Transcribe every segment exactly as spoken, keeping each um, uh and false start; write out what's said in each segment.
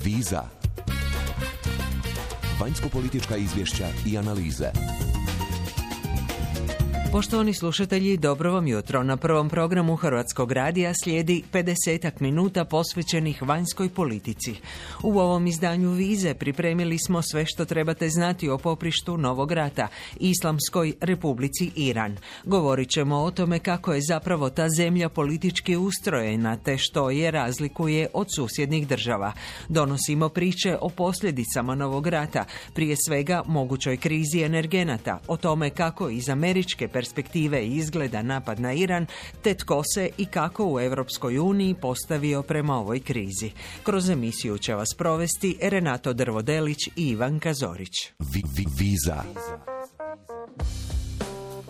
Viza. Vanjsko-politička izvješća i analize. Poštovani slušatelji, dobro vam jutro. Na prvom programu Hrvatskog radija slijedi pedesetak minuta posvećenih vanjskoj politici. U ovom izdanju Vize pripremili smo sve što trebate znati o poprištu novog rata, Islamskoj Republici Iran. Govorit ćemo o tome kako je zapravo ta zemlja politički ustrojena, te što je razlikuje od susjednih država. Donosimo priče o posljedicama novog rata, prije svega mogućoj krizi energenata, o tome kako iz američke perspektive izgleda napad na Iran, te tko se i kako u Europskoj uniji postavio prema ovoj krizi. Kroz emisiju će vas provesti Renato Drvodelić i Ivanka Zorić. Vi, vi, viza.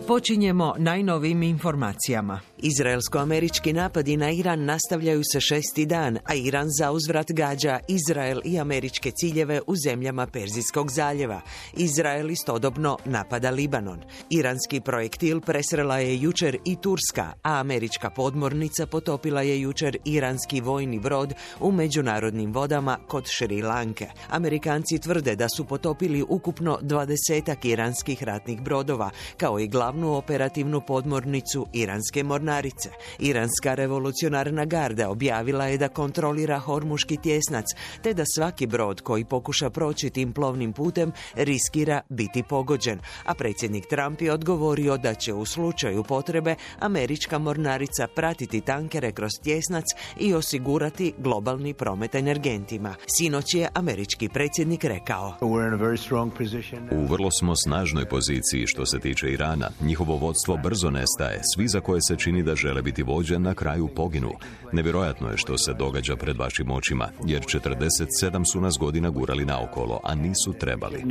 Počinjemo najnovijim informacijama. Izraelsko-američki napadi na Iran nastavljaju se šesti dan, a Iran zauzvrat gađa Izrael i američke ciljeve u zemljama Perzijskog zaljeva. Izrael istodobno napada Libanon. Iranski projektil presrela je jučer i Turska, a američka podmornica potopila je jučer iranski vojni brod u međunarodnim vodama kod Šri Lanke. Amerikanci tvrde da su potopili ukupno dvadesetak iranskih ratnih brodova, kao i glavnu operativnu podmornicu iranske mornarice. Iranska revolucionarna garda objavila je da kontrolira Hormuški tjesnac, te da svaki brod koji pokuša proći tim plovnim putem riskira biti pogođen, a predsjednik Trump je odgovorio da će u slučaju potrebe američka mornarica pratiti tankere kroz tjesnac i osigurati globalni promet energentima. Sinoć je američki predsjednik rekao: U vrlo smo snažnoj poziciji što se tiče Irana. Njihovo vodstvo brzo nestaje. Svi za koje se čini da žele biti vođe na kraju poginu. Nevjerojatno je što se događa pred vašim očima, jer četrdeset sedam su nas godina gurali naokolo, a nisu trebali.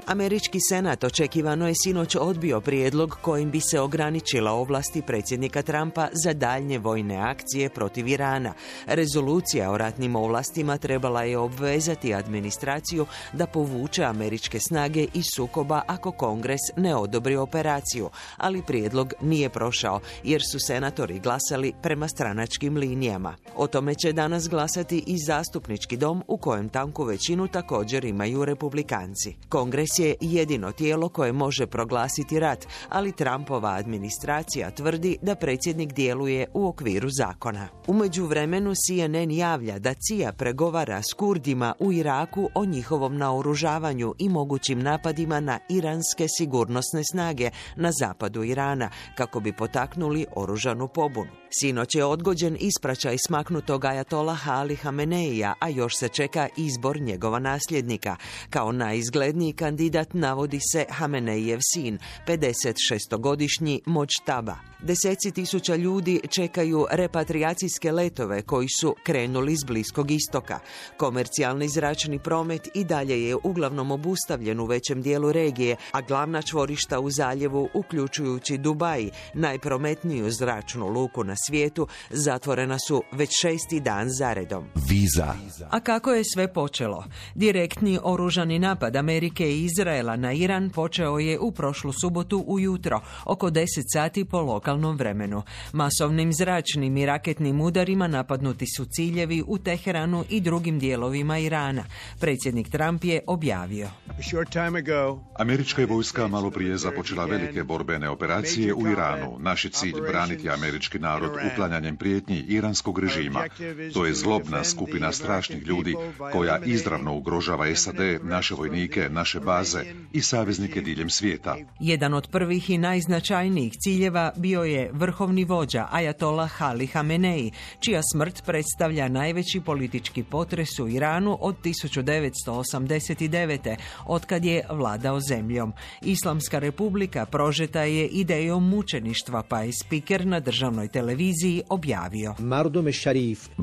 Američki senat očekivano je sinoć odbio prijedlog kojim bi se ograničila ovlasti predsjednika Trumpa za daljnje vojne akcije protiv Irana. Rezolucija o ratnim ovlastima trebala je obvezati administraciju da povuče američke snage iz sukoba ako Kongres ne odobri operaciju, ali prijedlog nije prošao jer su senatori glasali prema stranačkim linijama. O tome će danas glasati i zastupnički dom, u kojem tanku većinu također imaju republikanci. Kongres je jedino tijelo koje može proglasiti rat, ali Trumpova administracija tvrdi da predsjednik djeluje u okviru zakona. U međuvremenu C N N javlja da C I A pregovara s Kurdima u Iraku o njihovom naoružavanju i mogućim napadima na iranske sigurnosne snage na zapadu Irana, kako bi potaknuli oružanu pobunu. Sinoć je odgođen ispraćaj smaknutog ajatolaha Ali Hameneija, a još se čeka izbor njegova nasljednika. Kao najizgledniji kandidat navodi se Hameneijev sin, pedesetšestogodišnji Mojtaba. Deseci tisuća ljudi čekaju repatrijacijske letove koji su krenuli s Bliskog istoka. Komercijalni zračni promet i dalje je uglavnom obustavljen u većem dijelu regije, a glavna čvorišta u zaljevu, uključujući Dubai, najprometniju zračnu luku na svijetu, zatvorena su već šesti dan zaredom. Viza. A kako je sve počelo? Direktni oružani napad Amerike i Izraela na Iran počeo je u prošlu subotu ujutro, oko deset sati po lokalnom vremenu. Masovnim zračnim i raketnim udarima napadnuti su ciljevi u Teheranu i drugim dijelovima Irana. Predsjednik Trump je objavio: Američka je vojska malo prije započela velike borbene operacije u Iranu. Naš je cilj braniti američki narod uklanjanjem prijetnji iranskog režima. To je zlobna skupina strašnih ljudi koja izravno ugrožava S A D, naše vojnike, naše baze i saveznike diljem svijeta. Jedan od prvih i najznačajnijih ciljeva bio je vrhovni vođa ajatolah Ali Hamenei, čija smrt predstavlja najveći politički potres u Iranu od tisuću devetsto osamdeset devete. otkad je vladao zemljom. Islamska republika prožeta je idejom mučeništva, pa je spiker na državnoj televiziji objavio: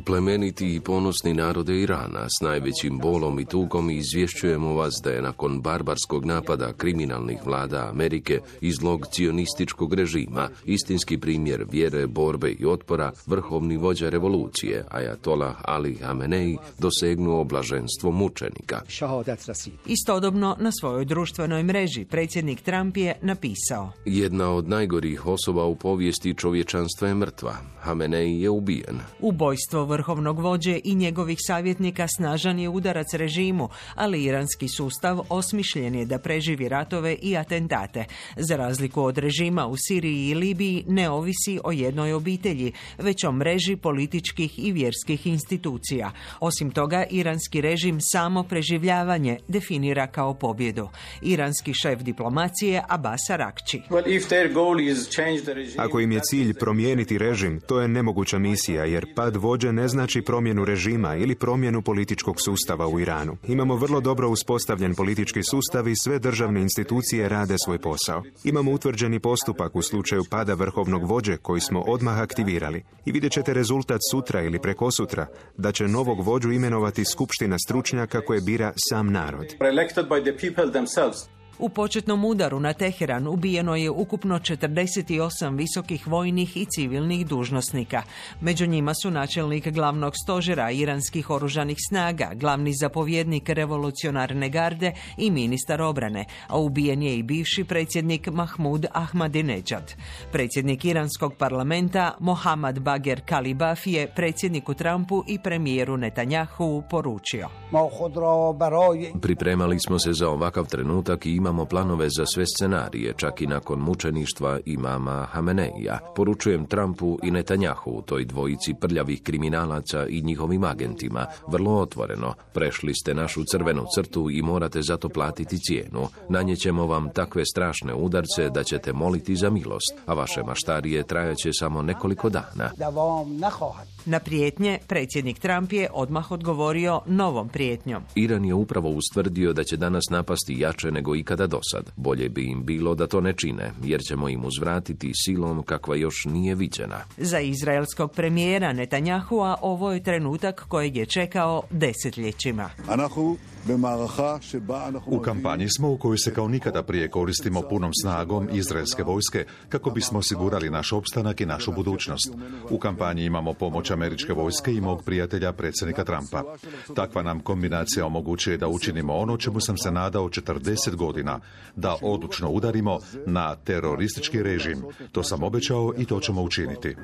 Plemeniti i ponosni narode Irana, s najvećim bolom i tugom izvješćujemo vas da je nakon barbarskog napada kriminalnih vlada Amerike i zlog cionističkog režima istinski primjer vjere, borbe i otpora vrhovni vođa revolucije, ajatolah Ali Hamenei, dosegnuo blaženstvo mučenika. Istodobno na svojoj društvenoj mreži predsjednik Trump je napisao: Jedna od najgorih osoba u povijesti čovječanstva je mrtva. ubojstva. Hamenei je ubijen. Ubojstvo vrhovnog vođe i njegovih savjetnika snažan je udarac režimu, ali iranski sustav osmišljen je da preživi ratove i atentate. Za razliku od režima u Siriji i Libiji ne ovisi o jednoj obitelji, već o mreži političkih i vjerskih institucija. Osim toga, iranski režim samo preživljavanje definira kao pobjedu. Iranski šef diplomacije Abbas Arakči. Ako im je cilj promijeniti režim, to je nemoguća misija, jer pad vođe ne znači promjenu režima ili promjenu političkog sustava u Iranu. Imamo vrlo dobro uspostavljen politički sustav i sve državne institucije rade svoj posao. Imamo utvrđeni postupak u slučaju pada vrhovnog vođe koji smo odmah aktivirali. I vidjet ćete rezultat sutra ili prekosutra, da će novog vođu imenovati skupština stručnjaka koje bira sam narod. U početnom udaru na Teheran ubijeno je ukupno četrdeset osam visokih vojnih i civilnih dužnosnika. Među njima su načelnik glavnog stožera iranskih oružanih snaga, glavni zapovjednik revolucionarne garde i ministar obrane, a ubijen je i bivši predsjednik Mahmud Ahmadinejad. Predsjednik iranskog parlamenta Mohammad Bagher Kalibaf je predsjedniku Trumpu i premijeru Netanjahu poručio: Pripremali smo se za ovakav trenutak i imamo planove za sve scenarije, čak i nakon mučeništva imama Hameneija. Poručujem Trumpu i Netanjahu, toj dvojici prljavih kriminalaca i njihovim agentima, vrlo otvoreno. Prešli ste našu crvenu crtu i morate zato platiti cijenu. Nanjećemo vam takve strašne udarce da ćete moliti za milost, a vaše maštarije trajaće samo nekoliko dana. Na prijetnje predsjednik Trump je odmah odgovorio novom prijetnjom. Iran je upravo ustvrdio da će danas napasti jače nego ikada dosad. Bolje bi im bilo da to ne čine, jer ćemo im uzvratiti silom kakva još nije viđena. Za izraelskog premijera Netanjahua ovo je trenutak kojeg je čekao desetljećima. U kampanji smo u kojoj se kao nikada prije koristimo punom snagom izraelske vojske kako bismo osigurali naš opstanak i našu budućnost. U kampanji imamo pomoć američke vojske i mog prijatelja predsjednika Trumpa. Takva nam kombinacija omogućuje da učinimo ono čemu sam se nadao četrdeset godina, da odlučno udarimo na teroristički režim. To sam obećao i to ćemo učiniti.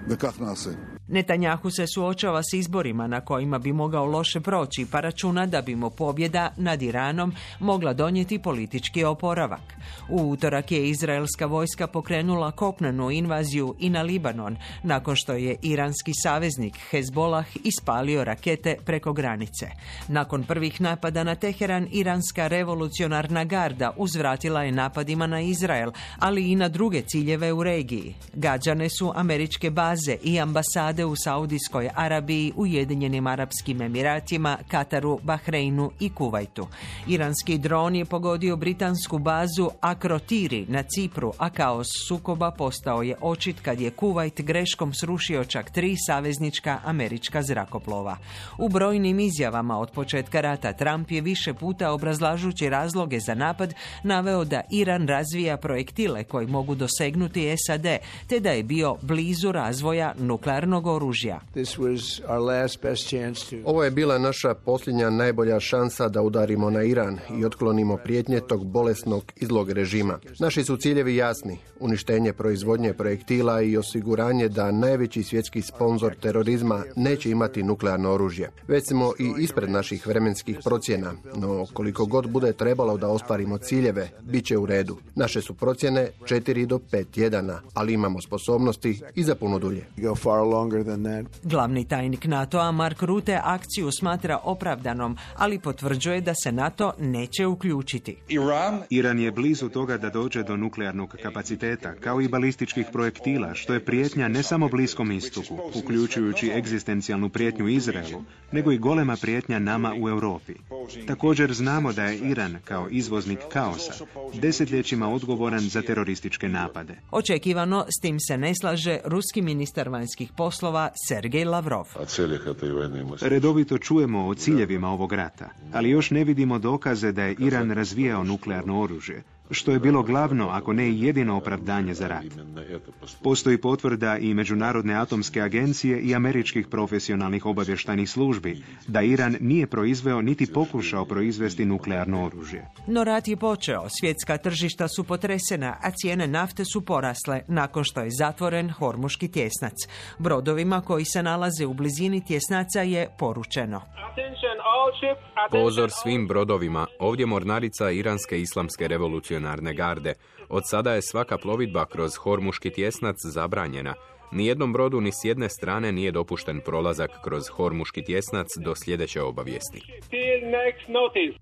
Netanjahu se suočava s izborima na kojima bi mogao loše proći, pa računa da bi mu pobjeda nad Iranom mogla donijeti politički oporavak. U utorak je izraelska vojska pokrenula kopnenu invaziju i na Libanon, nakon što je iranski saveznik Hezbollah ispalio rakete preko granice. Nakon prvih napada na Teheran, iranska revolucionarna garda uzvratila je napadima na Izrael, ali i na druge ciljeve u regiji. Gađane su američke baze i ambasade u Saudijskoj Arabiji, Ujedinjenim Arapskim Emiratima, Kataru, Bahreinu i Kuvajtu. Iranski dron je pogodio britansku bazu Akrotiri na Cipru, a kaos sukoba postao je očit kad je Kuvajt greškom srušio čak tri saveznička američka zrakoplova. U brojnim izjavama od početka rata Trump je više puta obrazlažući razloge za napad naveo da Iran razvija projektile koji mogu dosegnuti S A D, te da je bio blizu razvoja nuklearnog oružja. Ovo je bila naša posljednja najbolja šansa da udarimo na Iran i otklonimo prijetnje tog bolesnog i zlog režima. Naši su ciljevi jasni: uništenje proizvodnje projektila i osiguranje da najveći svjetski sponzor terorizma neće imati nuklearno oružje. Već smo i ispred naših vremenskih procjena, no koliko god bude trebalo da ostvarimo ciljeve, bit će u redu. Naše su procjene četiri do pet tjedana, ali imamo sposobnosti i za puno dulje. Glavni tajnik NATO-a Mark Rutte akciju smatra opravdanom, ali potvrđuje da se NATO neće uključiti. Iran je blizu toga da dođe do nuklearnog kapaciteta, kao i balističkih projektila, što je prijetnja ne samo Bliskom istoku, uključujući egzistencijalnu prijetnju Izraelu, nego i golema prijetnja nama u Europi. Također znamo da je Iran, kao izvoznik kaosa, desetljećima odgovoran za terorističke napade. Očekivano s tim se ne slaže ruski ministar vanjskih poslova Sergej Lavrov. Redovito čujemo o ciljevima ovog rata, ali još ne vidimo dokaze da je Iran razvijao nuklearno oružje. što je bilo glavno, ako ne i jedino opravdanje za rat. Postoji potvrda i Međunarodne atomske agencije i američkih profesionalnih obavještajnih službi da Iran nije proizveo niti pokušao proizvesti nuklearno oružje. No rat je počeo, svjetska tržišta su potresena, a cijene nafte su porasle nakon što je zatvoren Hormuški tjesnac. Brodovima koji se nalaze u blizini tjesnaca je poručeno: pozor svim brodovima, ovdje mornarica Iranske islamske revolucionarne garde. Od sada je svaka plovidba kroz Hormuški tjesnac zabranjena. Nijednom brodu ni s jedne strane nije dopušten prolazak kroz Hormuški tjesnac do sljedeće obavijesti.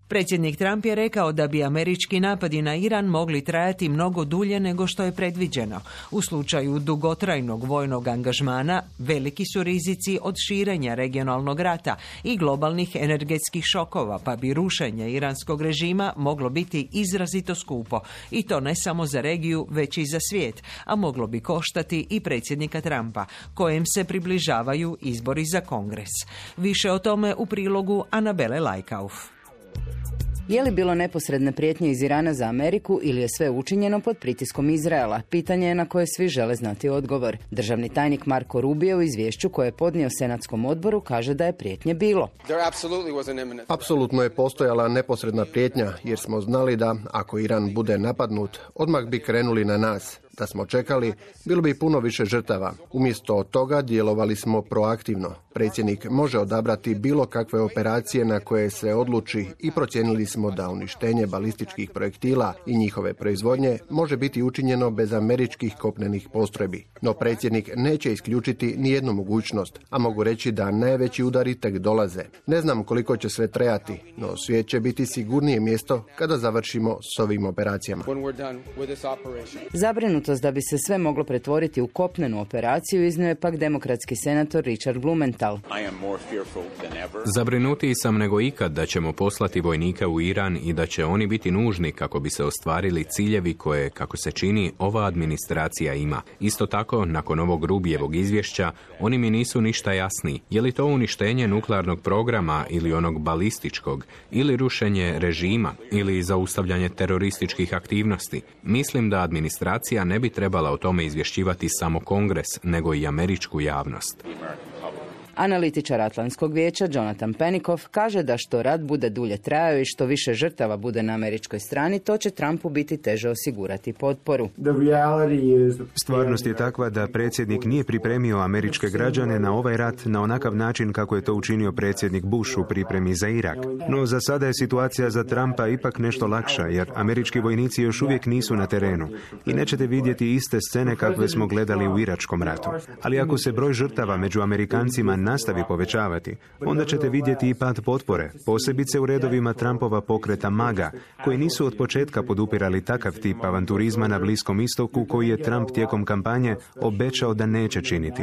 Predsjednik Trump je rekao da bi američki napadi na Iran mogli trajati mnogo dulje nego što je predviđeno. U slučaju dugotrajnog vojnog angažmana veliki su rizici od širenja regionalnog rata i globalnih energetskih šokova, pa bi rušenje iranskog režima moglo biti izrazito skupo. I to ne samo za regiju, već i za svijet, a moglo bi koštati i predsjednika Trumpa, kojem se približavaju izbori za Kongres. Više o tome u prilogu Anabele Lajkauf. Je li bilo neposredne prijetnje iz Irana za Ameriku ili je sve učinjeno pod pritiskom Izraela? Pitanje je na koje svi žele znati odgovor. Državni tajnik Marko Rubio u izvješću koje je podnio Senatskom odboru kaže da je prijetnje bilo. Apsolutno je postojala neposredna prijetnja jer smo znali da ako Iran bude napadnut, odmah bi krenuli na nas. Da smo čekali, bilo bi puno više žrtava. Umjesto toga djelovali smo proaktivno. Predsjednik može odabrati bilo kakve operacije na koje se odluči i procijenili smo da uništenje balističkih projektila i njihove proizvodnje može biti učinjeno bez američkih kopnenih postrojbi. No predsjednik neće isključiti nijednu mogućnost, a mogu reći da najveći udari tek dolaze. Ne znam koliko će sve trajati, no svijet će biti sigurnije mjesto kada završimo s ovim operacijama. Zabrinutost da bi se sve moglo pretvoriti u kopnenu operaciju iznio je pak demokratski senator Richard Blumenthal. Zabrinutiji sam nego ikad da ćemo poslati vojnike u Iran i da će oni biti nužni kako bi se ostvarili ciljevi koje, kako se čini, ova administracija ima. Isto tako, nakon ovog Rubijevog izvješća, oni mi nisu ništa jasni. Je li to uništenje nuklearnog programa ili onog balističkog, ili rušenje režima, ili zaustavljanje terorističkih aktivnosti? Mislim da administracija ne bi trebala o tome izvješćivati samo Kongres, nego i američku javnost. Analitičar Atlantskog vijeća Jonathan Penikoff kaže da što rat bude dulje trajao i što više žrtava bude na američkoj strani, to će Trumpu biti teže osigurati potporu. Stvarnost je takva da predsjednik nije pripremio američke građane na ovaj rat na onakav način kako je to učinio predsjednik Bush u pripremi za Irak. No za sada je situacija za Trumpa ipak nešto lakša, jer američki vojnici još uvijek nisu na terenu i nećete vidjeti iste scene kakve smo gledali u iračkom ratu. Ali ako se broj žrtava među Amerikancima nastavi povećavati, onda ćete vidjeti i pad potpore, posebice u redovima Trumpova pokreta MAGA, koji nisu od početka podupirali takav tip avanturizma na Bliskom istoku koji je Trump tijekom kampanje obećao da neće činiti.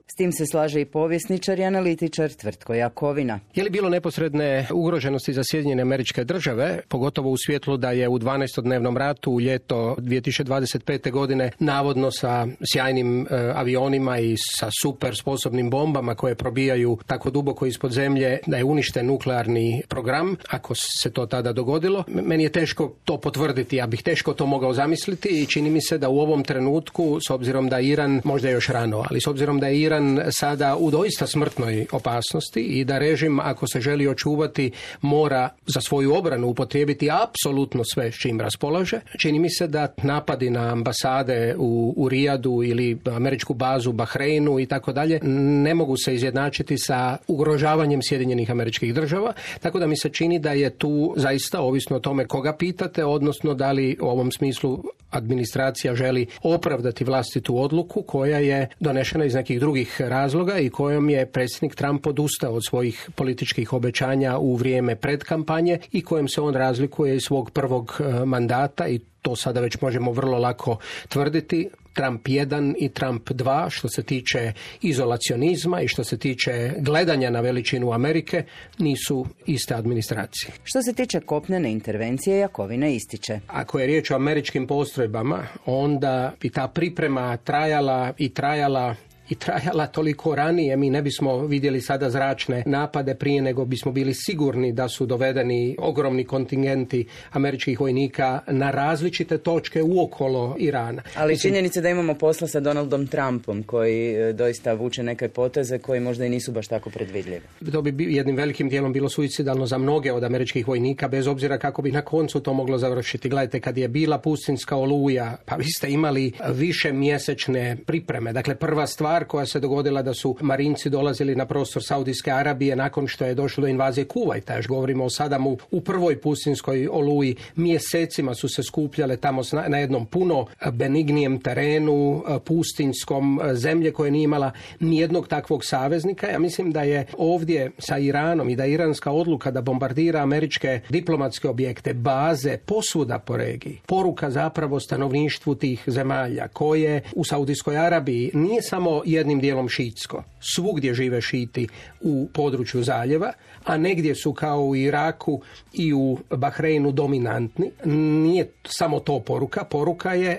S tim se slaže i povjesničar i analitičar Tvrtko Jakovina. Je li bilo neposredne ugroženosti za Sjedinjene Američke Države, pogotovo u svjetlu da je u dvanaestodnevnom ratu u ljeto dvije tisuće dvadeset pete. godine navodno sa sjajnim e, avionima i sa super sposobnim bombama koje probijaju tako duboko ispod zemlje da je uništen nuklearni program, ako se to tada dogodilo. Meni je teško to potvrditi, ja bih teško to mogao zamisliti i čini mi se da u ovom trenutku, s obzirom da Iran, možda još rano, ali s obzirom da je Iran sada u doista smrtnoj opasnosti i da režim, ako se želi očuvati, mora za svoju obranu upotrijebiti apsolutno sve s čim raspolaže. Čini mi se da napadi na ambasade u, u Rijadu ili američku bazu u Bahreinu i tako dalje ne mogu se izjednačiti sa ugrožavanjem Sjedinjenih Američkih Država, tako da mi se čini da je tu zaista ovisno o tome koga pitate, odnosno da li u ovom smislu administracija želi opravdati vlastitu odluku koja je donešena iz nekih drugih razloga i kojom je predsjednik Trump odustao od svojih političkih obećanja u vrijeme predkampanje i kojem se on razlikuje iz svog prvog mandata i to sada već možemo vrlo lako tvrditi. Trump jedan i Trump dva što se tiče izolacionizma i što se tiče gledanja na veličinu Amerike nisu iste administracije. Što se tiče kopnene intervencije, Jakovina ističe. Ako je riječ o američkim postrojbama, onda bi ta priprema trajala i trajala i trajala toliko ranije, mi ne bismo vidjeli sada zračne napade prije nego bismo bili sigurni da su dovedeni ogromni kontingenti američkih vojnika na različite točke uokolo Irana. Ali Mislim, činjenica da imamo posla sa Donaldom Trumpom koji doista vuče neke poteze koji možda i nisu baš tako predvidljivi. To bi jednim velikim dijelom bilo suicidalno za mnoge od američkih vojnika, bez obzira kako bi na koncu to moglo završiti. Gledajte, kad je bila pustinska oluja, pa vi ste imali više mjesečne pripreme. Dakle, prva stvar koja se dogodila da su marinci dolazili na prostor Saudijske Arabije nakon što je došlo do invazije Kuvajta. Još govorimo o Sadamu u prvoj pustinskoj oluji. Mjesecima su se skupljale tamo na jednom puno benignijem terenu, pustinskom, zemlje koje nije imala nijednog takvog saveznika. Ja mislim da je ovdje sa Iranom i da je iranska odluka da bombardira američke diplomatske objekte, baze, posvuda po regiji, poruka zapravo stanovništvu tih zemalja koje u Saudijskoj Arabiji nije samo jednim dijelom šiitsko. Svugdje žive šiti u području zaljeva, a negdje su kao u Iraku i u Bahreinu dominantni. Nije samo to poruka. Poruka je e,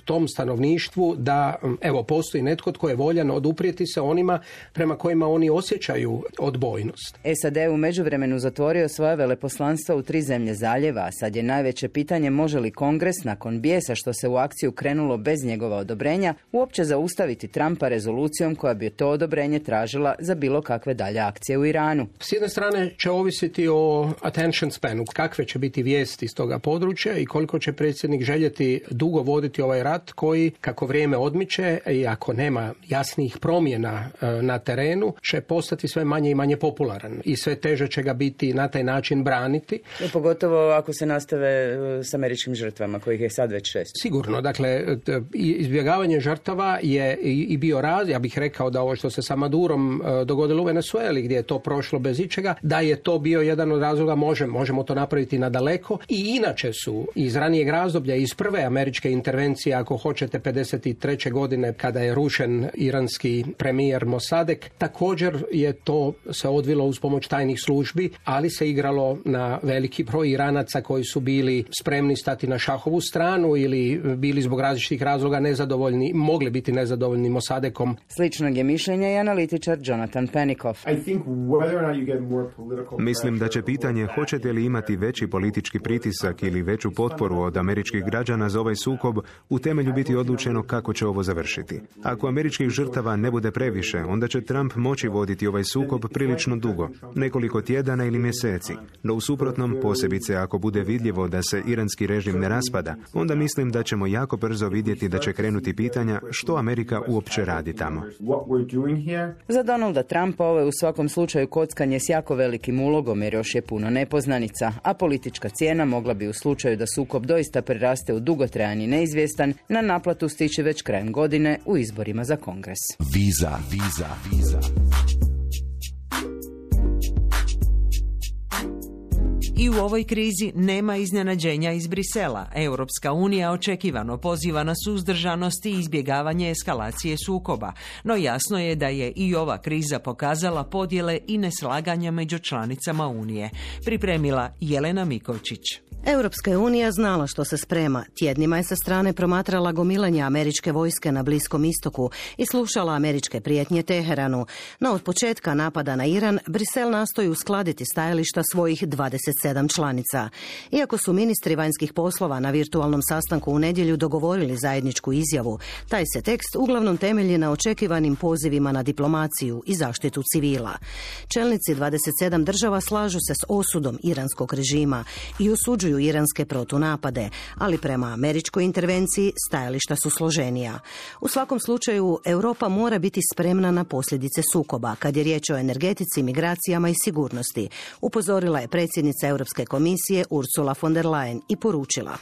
tom stanovništvu da evo postoji netko tko je voljan oduprijeti se onima prema kojima oni osjećaju odbojnost. S A D u međuvremenu zatvorio svoje veleposlanstva u tri zemlje zaljeva, a sad je najveće pitanje može li Kongres nakon bijesa što se u akciju krenulo bez njegova odobrenja uopće zaustaviti Trumpa rezolucijom koja bi to odobrenje tražila za bilo kakve dalje akcije u Iranu. S jedne strane će ovisiti o attention spanu, kakve će biti vijesti iz toga područja i koliko će predsjednik željeti dugo voditi ovaj rat koji, kako vrijeme odmiče i ako nema jasnih promjena na terenu, će postati sve manje i manje popularan i sve teže će ga biti na taj način braniti. I pogotovo ako se nastave s američkim žrtvama, kojih je sad već šest. Sigurno, dakle, izbjegavanje žrtava je i bio raz, ja bih rekao da ovo što se sa Madurom dogodilo u Venezueli, gdje je to prošlo bez ičega, da je to bio jedan od razloga, možemo, možemo to napraviti nadaleko i inače su iz ranijeg razdoblja, iz prve američke intervencije, ako hoćete, pedeset treće godine, kada je rušen iranski premijer Mossadegh, također je to se odvilo uz pomoć tajnih službi, ali se igralo na veliki broj Iranaca koji su bili spremni stati na šahovu stranu ili bili zbog različitih razloga nezadovoljni, mogli biti nezadovoljni Mossadeghom. Sličnog je mišljenja i analitičar Jonathan Penikoff. Mislim da će pitanje hoćete li imati veći politički pritisak ili veću potporu od američkih građana za ovaj sukob u temelju biti odlučeno kako će ovo završiti. Ako američkih žrtava ne bude previše, onda će Trump moći voditi ovaj sukob prilično dugo, nekoliko tjedana ili mjeseci. No u suprotnom, posebice ako bude vidljivo da se iranski režim ne raspada, onda mislim da ćemo jako brzo vidjeti da će krenuti pitanja što Amerika uopće radi tamo. Za Donalda Trumpa ovo je u svakom slučaju kockanje s jako velikim ulogom jer još je puno nepoznanica, a politička cijena mogla bi u slučaju da sukob doista preraste u dugotrajan i neizvjestan na naplatu stići već krajem godine u izborima za Kongres. Viza, viza, viza. I u ovoj krizi nema iznenađenja iz Brisela. Europska unija očekivano poziva na suzdržanost i izbjegavanje eskalacije sukoba. No jasno je da je i ova kriza pokazala podjele i neslaganja među članicama Unije. Pripremila Jelena Mikovčić. Europska je unija znala što se sprema. Tjednima je sa strane promatrala gomilanje američke vojske na Bliskom istoku i slušala američke prijetnje Teheranu. No od početka napada na Iran, Brisel nastoji uskladiti stajališta svojih dvadeset sedam članica. Iako su ministri vanjskih poslova na virtualnom sastanku u nedjelju dogovorili zajedničku izjavu, taj se tekst uglavnom temelji na očekivanim pozivima na diplomaciju i zaštitu civila. Čelnici dvadeset sedam država slažu se s osudom iranskog režima i osuđuju iranske protunapade, ali prema američkoj intervenciji stajališta su složenija. U svakom slučaju, Europa mora biti spremna na posljedice sukoba, kad je riječ o energetici, migracijama i sigurnosti, upozorila je predsjednica Europske komisije Ursula von der Leyen i poručila.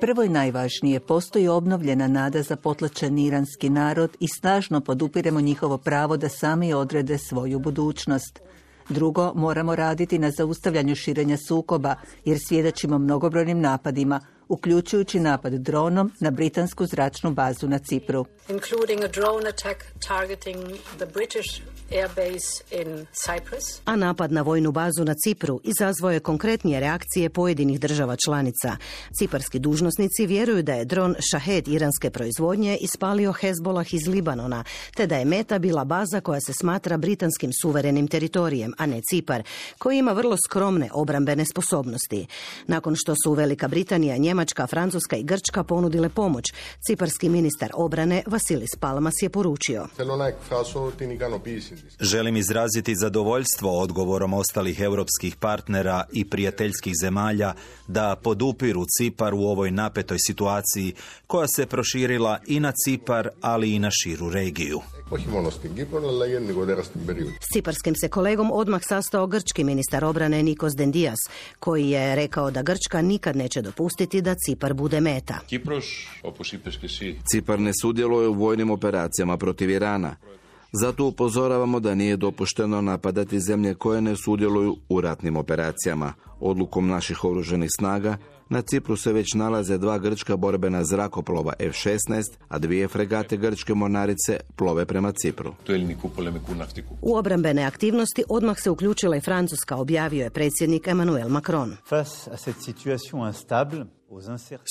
Prvo i najvažnije, postoji obnovljena nada za potlačen iranski narod i snažno podupiremo njihovo pravo da sami odrede svoju budućnost. Drugo, moramo raditi na zaustavljanju širenja sukoba, jer svjedočimo mnogobrojnim napadima, uključujući napad dronom na britansku zračnu bazu na Cipru. A napad na vojnu bazu na Cipru izazvao je konkretnije reakcije pojedinih država članica. Ciparski dužnosnici vjeruju da je dron Shahed iranske proizvodnje ispalio Hezbollah iz Libanona, te da je meta bila baza koja se smatra britanskim suverenim teritorijem, a ne Cipar, koji ima vrlo skromne obrambene sposobnosti. Nakon što su Velika Britanija, Njemačka, Francuska i Grčka ponudile pomoć, ciparski ministar obrane Vasilis Palmas je poručio: Želim izraziti zadovoljstvo odgovorom ostalih europskih partnera i prijateljskih zemalja da podupiru Cipar u ovoj napetoj situaciji koja se proširila i na Cipar, ali i na širu regiju. S ciparskim se kolegom odmah sastao grčki ministar obrane Nikos Dendias, koji je rekao da Grčka nikad neće dopustiti da Cipar bude meta. Cipar ne sudjeluje u vojnim operacijama protiv Irana. Zato upozoravamo da nije dopušteno napadati zemlje koje ne sudjeluju u ratnim operacijama. Odlukom naših oružanih snaga na Cipru se već nalaze dva grčka borbena zrakoplova F šesnaest, a dvije fregate grčke mornarice plove prema Cipru. U obrambene aktivnosti odmah se uključila i Francuska, objavio je predsjednik Emmanuel Macron.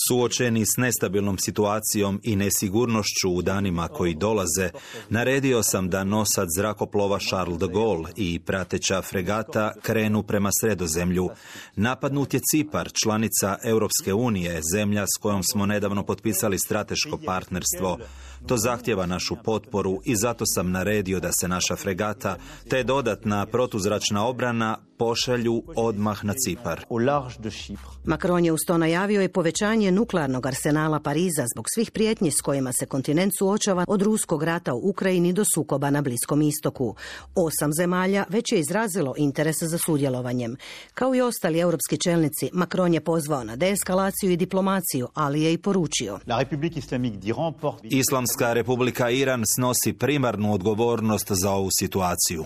Suočeni s nestabilnom situacijom i nesigurnošću u danima koji dolaze, naredio sam da nosac zrakoplova Charles de Gaulle i prateća fregata krenu prema Sredozemlju. Napadnut je Cipar, članica Europske unije, zemlja s kojom smo nedavno potpisali strateško partnerstvo. To zahtjeva našu potporu i zato sam naredio da se naša fregata te dodatna protuzračna obrana pošalju odmah na Cipar. Macron je uz to najavio i povećanje nuklearnog arsenala Pariza zbog svih prijetnji s kojima se kontinent suočava od ruskog rata u Ukrajini do sukoba na Bliskom istoku. Osam zemalja već je izrazilo interes za sudjelovanjem. Kao i ostali europski čelnici, Macron je pozvao na deeskalaciju i diplomaciju, ali je i poručio: Islamska Republika Iran snosi primarnu odgovornost za ovu situaciju.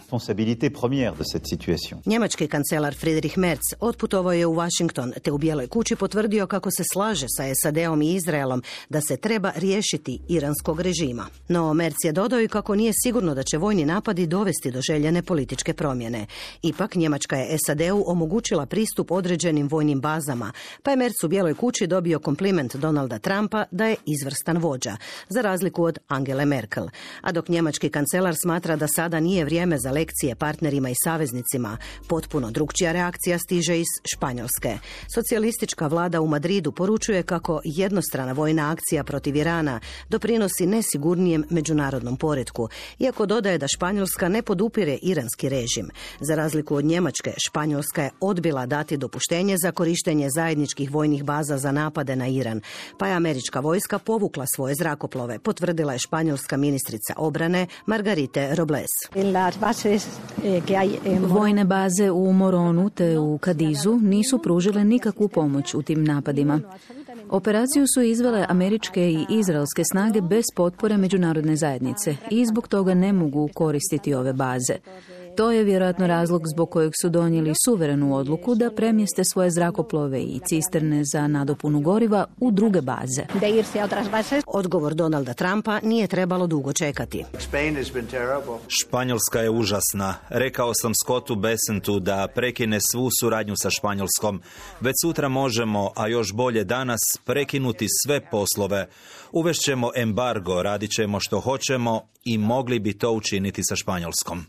Njemački kancelar Friedrich Merz otputovao je u Washington, te u Bijeloj kući potvrdio kako se slaže sa S A D-om i Izraelom da se treba riješiti iranskog režima. No Merz je dodao i kako nije sigurno da će vojni napadi dovesti do željene političke promjene. Ipak Njemačka je S A D-u omogućila pristup određenim vojnim bazama, pa je Merz u Bijeloj kući dobio kompliment Donalda Trumpa da je izvrstan vođa, za razliku od Angele Merkel. A dok njemački kancelar smatra da sada nije vrijeme za lekcije partnerima i saveznicima, potpuno drukčija reakcija stiže iz Španjolske. Socijalistička vlada u Madridu poručuje kako jednostrana vojna akcija protiv Irana doprinosi nesigurnijem međunarodnom poretku, iako dodaje da Španjolska ne podupire iranski režim. Za razliku od Njemačke, Španjolska je odbila dati dopuštenje za korištenje zajedničkih vojnih baza za napade na Iran, pa je američka vojska povukla svoje zrakoplove, potvrdila je španjolska ministrica obrane Margarite Robles. Vojne baze u Moronu te u Kadizu nisu pružile nikakvu pomoć u tim napadima. Operaciju su izvele američke i izraelske snage bez potpore međunarodne zajednice i zbog toga ne mogu koristiti ove baze. To je vjerojatno razlog zbog kojeg su donijeli suverenu odluku da premjeste svoje zrakoplove i cisterne za nadopunu goriva u druge baze. Odgovor Donalda Trumpa nije trebalo dugo čekati. Španjolska je užasna. Rekao sam Scottu Bessentu da prekine svu suradnju sa Španjolskom. Već sutra možemo, a još bolje danas, prekinuti sve poslove. Uvešćemo embargo, radit ćemo što hoćemo i mogli bi to učiniti sa Španjolskom.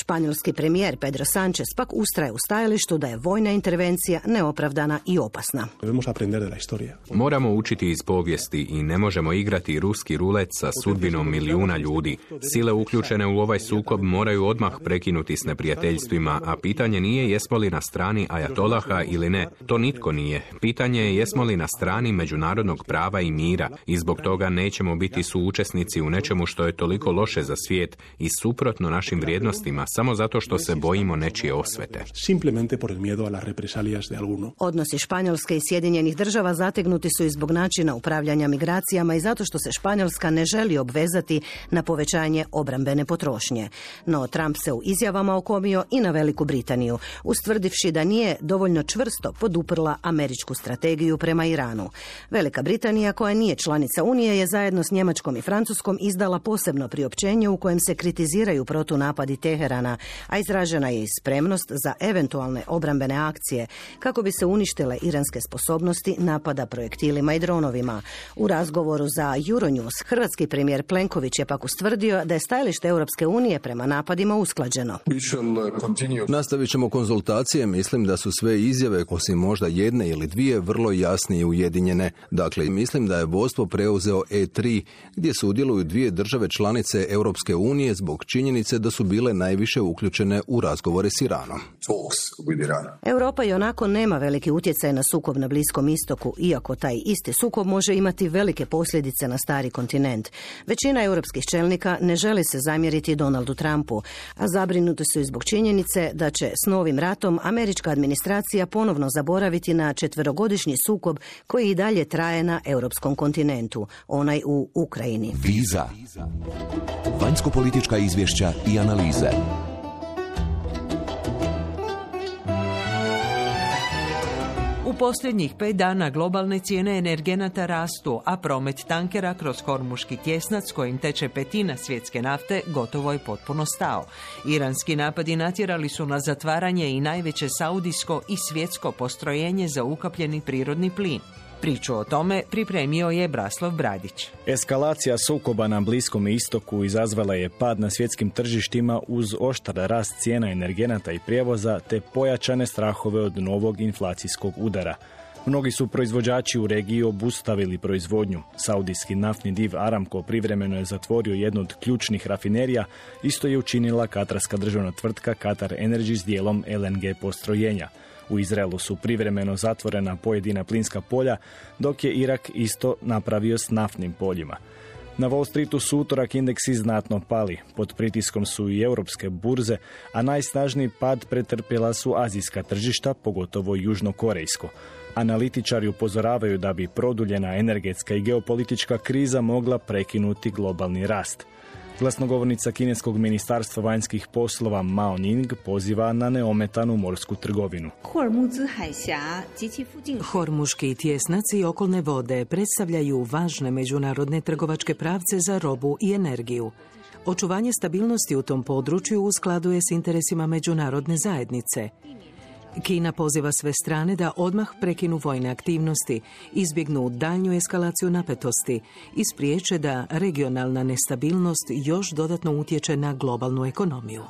Španjolski premijer Pedro Sánchez pak ustraje u stajalištu da je vojna intervencija neopravdana i opasna. Moramo učiti iz povijesti i ne možemo igrati ruski rulet sa sudbinom milijuna ljudi. Sile uključene u ovaj sukob moraju odmah prekinuti s neprijateljstvima, a pitanje nije jesmo li na strani ajatolaha ili ne. To nitko nije. Pitanje je jesmo li na strani međunarodnog prava i mira i zbog toga nećemo biti suučesnici u nečemu što je toliko loše loše za svijet i suprotno našim vrijednostima samo zato što se bojimo nečije osvete. Simplemente por el miedo a las represalias de alguno. Odnosi Španjolske i Sjedinjenih država zategnuti su i zbog načina upravljanja migracijama i zato što se Španjolska ne želi obvezati na povećanje obrambene potrošnje. No Trump se u izjavama okomio i na Veliku Britaniju, ustvrdivši da nije dovoljno čvrsto poduprla američku strategiju prema Iranu. Velika Britanija, koja nije članica Unije, je zajedno s Njemačkom i Francuskom izdala posebno priopćenje u kojem se kritiziraju protunapadi Teherana, a izražena je i spremnost za eventualne obrambene akcije kako bi se uništile iranske sposobnosti napada projektilima i dronovima. U razgovoru za Euronews hrvatski premijer Plenković je pak ustvrdio da je stajalište Europske unije prema napadima usklađeno. Nastavit ćemo konzultacije, mislim da su sve izjave, osim možda jedne ili dvije, vrlo jasne i ujedinjene. Dakle, mislim da je vodstvo preuzeo E tri, gdje sudjeluju dvije države članice Europske unije zbog činjenice da su bile najviše uključene u razgovore s Iranom. Europa i onako nema veliki utjecaj na sukob na Bliskom istoku, iako taj isti sukob može imati velike posljedice na stari kontinent. Većina europskih čelnika ne želi se zamjeriti Donaldu Trumpu, a zabrinuti su i zbog činjenice da će s novim ratom američka administracija ponovno zaboraviti na četverogodišnji sukob koji i dalje traje na europskom kontinentu, onaj u Ukrajini. Viza. Vanjsko-politička izvješća i analize. U posljednjih pet dana globalne cijene energenata rastu, a promet tankera kroz Hormuški tjesnac kojim teče petina svjetske nafte gotovo je potpuno stao. Iranski napadi natjerali su na zatvaranje i najveće saudijsko i svjetsko postrojenje za ukapljeni prirodni plin. Priču o tome pripremio je Braslav Bradić. Eskalacija sukoba na Bliskom istoku izazvala je pad na svjetskim tržištima uz oštar rast cijena energenata i prijevoza te pojačane strahove od novog inflacijskog udara. Mnogi su proizvođači u regiji obustavili proizvodnju. Saudijski naftni div Aramco privremeno je zatvorio jednu od ključnih rafinerija, isto je učinila katarska državna tvrtka Qatar Energy s dijelom L N G postrojenja. U Izraelu su privremeno zatvorena pojedina plinska polja, dok je Irak isto napravio s naftnim poljima. Na Wall Streetu su utorak indeksi znatno pali. Pod pritiskom su i europske burze, a najsnažniji pad pretrpjela su azijska tržišta, pogotovo južnokorejsko. Analitičari upozoravaju da bi produljena energetska i geopolitička kriza mogla prekinuti globalni rast. Glasnogovornica kineskog ministarstva vanjskih poslova Mao Ning poziva na neometanu morsku trgovinu. Hormuški tjesnac i okolne vode predstavljaju važne međunarodne trgovačke pravce za robu i energiju. Očuvanje stabilnosti u tom području u skladu je s interesima međunarodne zajednice. Kina poziva sve strane da odmah prekinu vojne aktivnosti, izbjegnu daljnju eskalaciju napetosti i spriječe da regionalna nestabilnost još dodatno utječe na globalnu ekonomiju.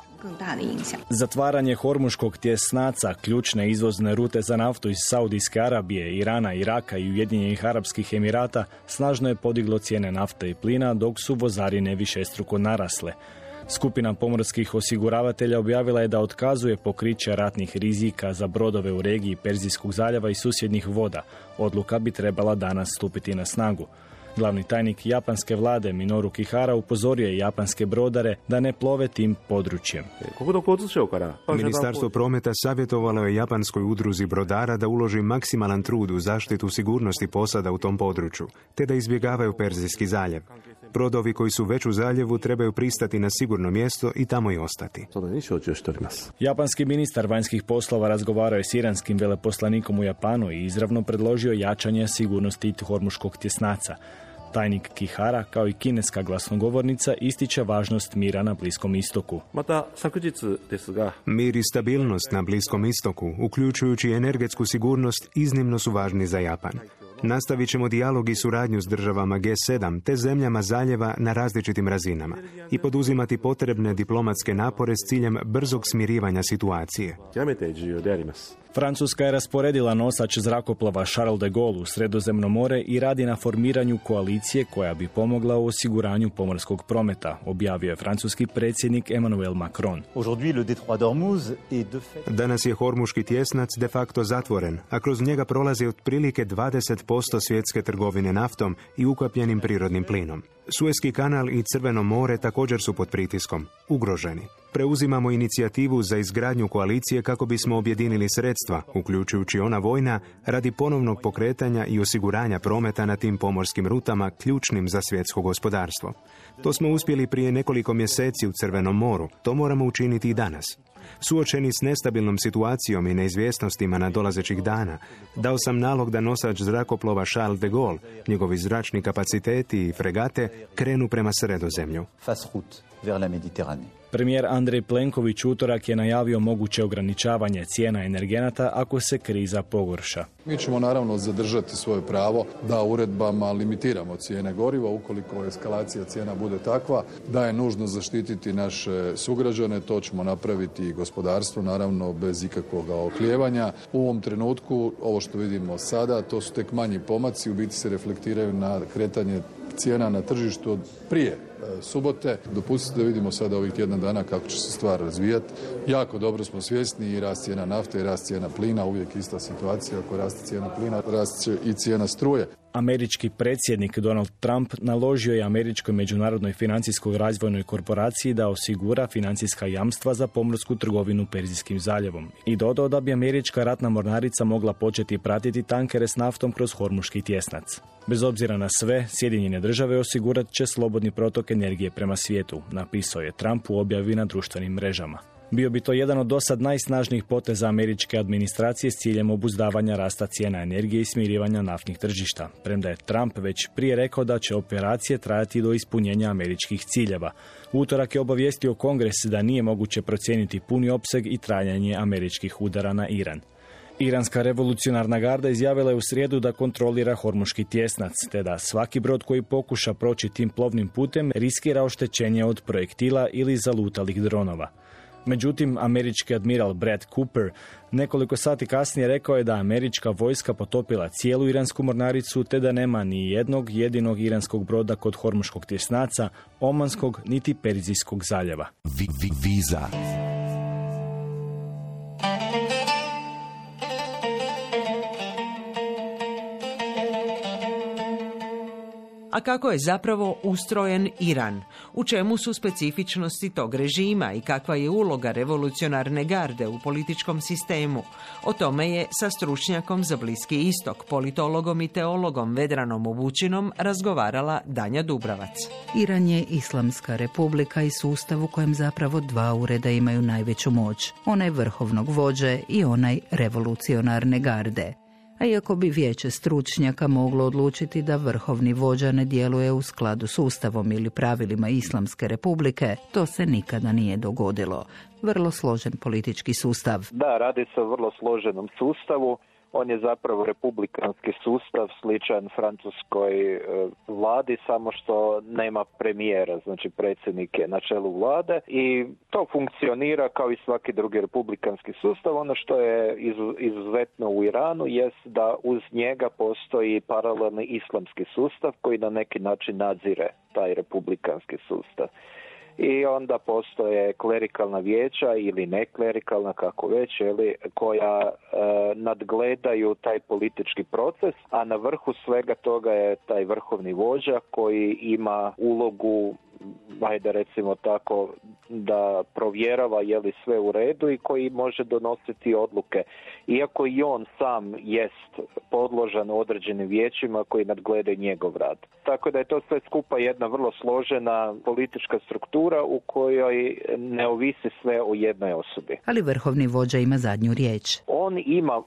Zatvaranje Hormuškog tjesnaca, ključne izvozne rute za naftu iz Saudijske Arabije, Irana, Iraka i Ujedinjenih Arapskih Emirata, snažno je podiglo cijene nafte i plina, dok su vozarine višestruko narasle. Skupina pomorskih osiguravatelja objavila je da otkazuje pokriće ratnih rizika za brodove u regiji Perzijskog zaljeva i susjednih voda. Odluka bi trebala danas stupiti na snagu. Glavni tajnik japanske vlade Minoru Kihara upozorio je japanske brodare da ne plove tim područjem. Ministarstvo prometa savjetovalo je japanskoj udruzi brodara da uloži maksimalan trud u zaštitu sigurnosti posada u tom području, te da izbjegavaju Perzijski zaljev. Brodovi koji su već u zaljevu trebaju pristati na sigurno mjesto i tamo i ostati. Japanski ministar vanjskih poslova razgovarao je s iranskim veleposlanikom u Japanu i izravno predložio jačanje sigurnosti Hormuškog tjesnaca. Tajnik Kihara, kao i kineska glasnogovornica, ističe važnost mira na Bliskom istoku. Mir i stabilnost na Bliskom istoku, uključujući energetsku sigurnost, iznimno su važni za Japan. Nastavit ćemo dijalog i suradnju s državama G sedam te zemljama zaljeva na različitim razinama i poduzimati potrebne diplomatske napore s ciljem brzog smirivanja situacije. Francuska je rasporedila nosač zrakoplova Charles de Gaulle u Sredozemno more i radi na formiranju koalicije koja bi pomogla u osiguranju pomorskog prometa, objavio je francuski predsjednik Emmanuel Macron. Danas je Hormuški tjesnac de facto zatvoren, a kroz njega prolazi otprilike dvadeset posto svjetske trgovine naftom i ukapljenim prirodnim plinom. Suezki kanal i Crveno more također su pod pritiskom, ugroženi. Preuzimamo inicijativu za izgradnju koalicije kako bismo objedinili sredstva, uključujući ona vojna, radi ponovnog pokretanja i osiguranja prometa na tim pomorskim rutama ključnim za svjetsko gospodarstvo. To smo uspjeli prije nekoliko mjeseci u Crvenom moru, to moramo učiniti i danas. Suočeni s nestabilnom situacijom i neizvjesnostima nadolazećih dana, dao sam nalog da nosač zrakoplova Charles de Gaulle, njegovi zračni kapaciteti i fregate krenu prema Sredozemlju. Premijer Andrej Plenković utorak je najavio moguće ograničavanje cijena energenata ako se kriza pogorša. Mi ćemo naravno zadržati svoje pravo da uredbama limitiramo cijene goriva ukoliko eskalacija cijena bude takva da je nužno zaštititi naše sugrađane. To ćemo napraviti i gospodarstvo, naravno bez ikakvog oklijevanja. U ovom trenutku, ovo što vidimo sada, to su tek manji pomaci, u biti se reflektiraju na kretanje cijena na tržištu od prije subote. Dopustite da vidimo sada ovih tjedan dana kako će se stvar razvijati. Jako dobro smo svjesni i rast cijena nafte i rast cijena plina, uvijek ista situacija. Ako raste cijena plina, rast će i cijena struje. Američki predsjednik Donald Trump naložio je Američkoj međunarodnoj financijskoj razvojnoj korporaciji da osigura financijska jamstva za pomorsku trgovinu Perzijskim zaljevom i dodao da bi američka ratna mornarica mogla početi pratiti tankere s naftom kroz Hormuški tjesnac. Bez obzira na sve, Sjedinjene države osigurat će slobodni protok energije prema svijetu, napisao je Trump u objavi na društvenim mrežama. Bio bi to jedan od dosad najsnažnijih poteza američke administracije s ciljem obuzdavanja rasta cijena energije i smirivanja naftnih tržišta, premda je Trump već prije rekao da će operacije trajati do ispunjenja američkih ciljeva. U utorak je obavijestio Kongres da nije moguće procijeniti puni opseg i trajanje američkih udara na Iran. Iranska revolucionarna garda izjavila je u srijedu da kontrolira Hormuški tjesnac, te da svaki brod koji pokuša proći tim plovnim putem riskira oštećenje od projektila ili zalutalih dronova. Međutim, američki admiral Brad Cooper nekoliko sati kasnije rekao je da američka vojska potopila cijelu iransku mornaricu, te da nema ni jednog jedinog iranskog broda kod Hormuškog tjesnaca, Omanskog niti Perzijskog zaljeva. Viza. A kako je zapravo ustrojen Iran? U čemu su specifičnosti tog režima i kakva je uloga revolucionarne garde u političkom sistemu? O tome je sa stručnjakom za Bliski istok, politologom i teologom Vedranom Obučinom razgovarala Danja Dubravac. Iran je islamska republika i sustav u kojem zapravo dva ureda imaju najveću moć. Onaj vrhovnog vođe i onaj revolucionarne garde. A iako bi vijeće stručnjaka moglo odlučiti da vrhovni vođa ne djeluje u skladu s ustavom ili pravilima Islamske republike, to se nikada nije dogodilo. Vrlo složen politički sustav. Da, radi se o vrlo složenom sustavu. On je zapravo republikanski sustav, sličan francuskoj e, vladi, samo što nema premijera, znači predsjednik je na čelu vlade i to funkcionira kao i svaki drugi republikanski sustav. Ono što je izu, izuzetno u Iranu jest da uz njega postoji paralelni islamski sustav koji na neki način nadzire taj republikanski sustav. I onda postoje klerikalna vijeća ili neklerikalna, kako već, ili, koja e, nadgledaju taj politički proces, a na vrhu svega toga je taj vrhovni vođa koji ima ulogu, ajde recimo tako, da provjerava je li sve u redu i koji može donositi odluke. Iako i on sam jest podložan određenim vijećima koji nadgledaju njegov rad. Tako da je to sve skupa jedna vrlo složena politička struktura u kojoj ne ovisi sve o jednoj osobi. Ali vrhovni vođa ima zadnju riječ. On ima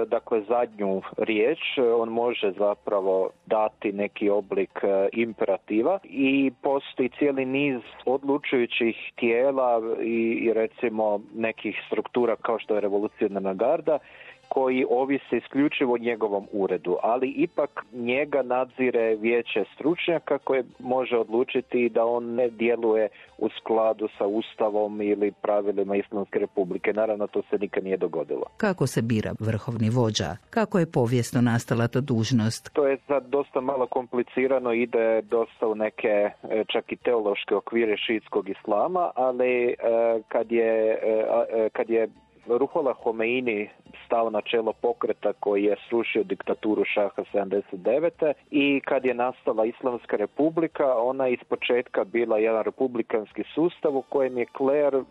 dakle zadnju riječ, on može zapravo dati neki oblik imperativa i postoji cijeli niz odlučujućih tijela i, i recimo nekih struktura kao što je revolucionarna garda koji ovise isključivo o njegovom uredu, ali ipak njega nadzire vijeće stručnjaka koje može odlučiti da on ne djeluje u skladu sa ustavom ili pravilima Islamske republike. Naravno, to se nikad nije dogodilo. Kako se bira vrhovni vođa? Kako je povijesno nastala ta dužnost? To je sad dosta malo komplicirano, ide dosta u neke čak i teološke okvire šiitskog islama, ali kad je, kad je Ruhollah Homeini stao na čelo pokreta koji je srušio diktaturu šaha sedamdeset devete i kad je nastala Islamska republika, ona je ispočetka bila jedan republikanski sustav u kojem je kler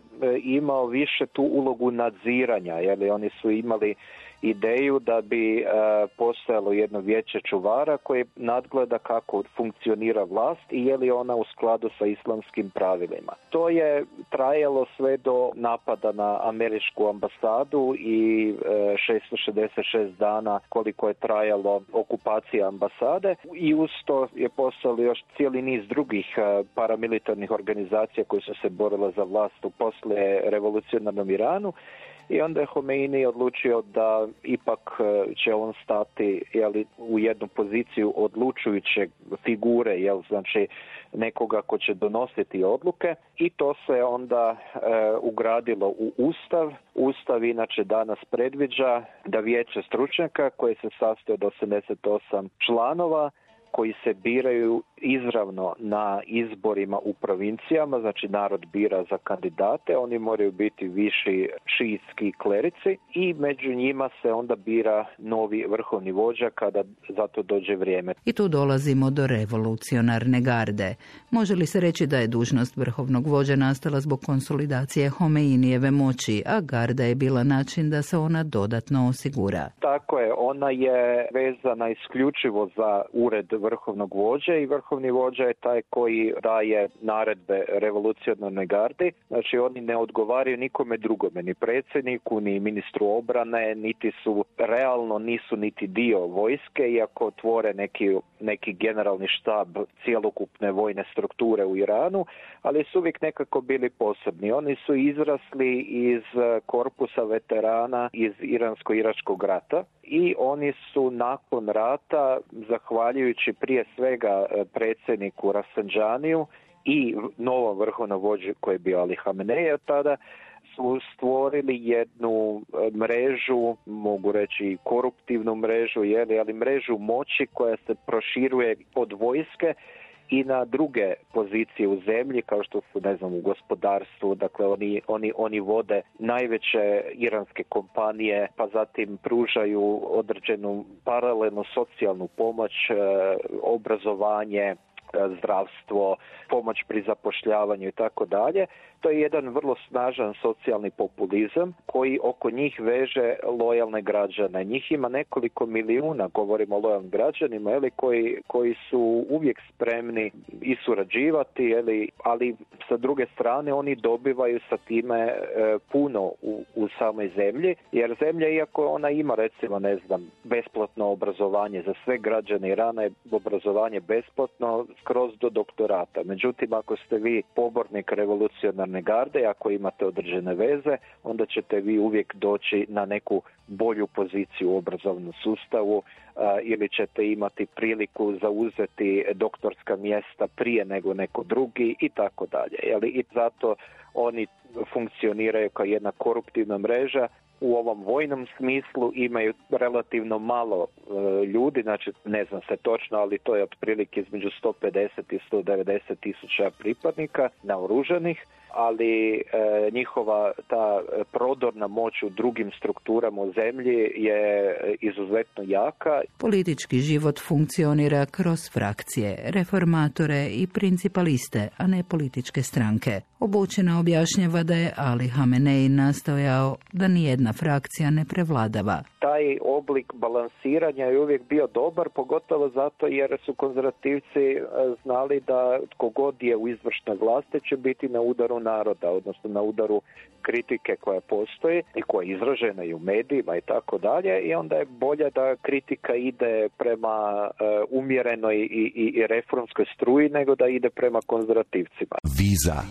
imao više tu ulogu nadziranja, jer oni su imali ideju da bi e, postojalo jedno vijeće čuvara koje nadgleda kako funkcionira vlast i je li ona u skladu sa islamskim pravilima. To je trajalo sve do napada na američku ambasadu i e, šesto šezdeset šest dana koliko je trajalo okupacija ambasade i uz to je postojalo još cijeli niz drugih e, paramilitarnih organizacija koje su se borile za vlast u poslije revolucionarnom Iranu. I onda je Homeini odlučio da ipak će on stati jeli, u jednu poziciju odlučujuće figure, jel, znači nekoga ko će donositi odluke i to se onda e, ugradilo u Ustav. Ustav inače danas predviđa da vijeće stručnjaka koje se sastoji od osamdeset osam članova koji se biraju izravno na izborima u provincijama, znači narod bira za kandidate, oni moraju biti viši šiitski klerici i među njima se onda bira novi vrhovni vođa kada za to dođe vrijeme. I tu dolazimo do revolucionarne garde. Može li se reći da je dužnost vrhovnog vođa nastala zbog konsolidacije Homeinijeve moći, a garda je bila način da se ona dodatno osigura? Tako je, ona je vezana isključivo za ured vrhovnog vođe i vrhovni vođa je taj koji daje naredbe revolucionarnoj gardi. Znači oni ne odgovaraju nikome drugome, ni predsjedniku, ni ministru obrane, niti su realno nisu niti dio vojske, iako tvore neki, neki generalni štab cjelokupne vojne strukture u Iranu, ali su uvijek nekako bili posebni. Oni su izrasli iz korpusa veterana iz Iransko-iračkog rata i oni su nakon rata, zahvaljujući prije svega predsjedniku Rafsanjaniju i novom vrhovnom vođi koji je bio Ali Hamenej tada, su stvorili jednu mrežu, mogu reći koruptivnu mrežu, jeli, ali mrežu moći koja se proširuje od vojske i na druge pozicije u zemlji, kao što su, ne znam, u gospodarstvu, dakle oni, oni, oni vode najveće iranske kompanije, pa zatim pružaju određenu paralelnu socijalnu pomoć, obrazovanje, zdravstvo, pomoć pri zapošljavanju i tako dalje. To je jedan vrlo snažan socijalni populizam koji oko njih veže lojalne građane. Njih ima nekoliko milijuna, govorimo o lojalnim građanima, eli, koji, koji su uvijek spremni i surađivati, eli, ali sa druge strane oni dobivaju sa time e, puno u, u samoj zemlji, jer zemlja, iako ona ima recimo, ne znam, besplatno obrazovanje za sve građane Irana, je obrazovanje besplatno skroz do doktorata. Međutim, ako ste vi pobornik revolucionarne garde, ako imate određene veze, onda ćete vi uvijek doći na neku bolju poziciju u obrazovnom sustavu a, ili ćete imati priliku zauzeti doktorska mjesta prije nego neko drugi i tako dalje. I zato oni funkcioniraju kao jedna koruptivna mreža. U ovom vojnom smislu imaju relativno malo e, ljudi, znači ne znam se točno, ali to je otprilike između sto pedeset i sto devedeset tisuća pripadnika naoružanih, ali e, njihova ta prodorna moć u drugim strukturama u zemlji je izuzetno jaka. Politički život funkcionira kroz frakcije, reformatore i principaliste, a ne političke stranke. Obučena objašnjava da je Ali Hamenej nastojao da nijedna frakcija ne prevladava. Taj oblik balansiranja je uvijek bio dobar, pogotovo zato jer su konzervativci znali da tko god je u izvršnoj vlasti će biti na udaru naroda, odnosno na udaru kritike koja postoji i koja je izražena i u medijima i tako dalje, i onda je bolje da kritika ide prema uh, umjerenoj i, i, i reformskoj struji nego da ide prema konzervativcima. Viza.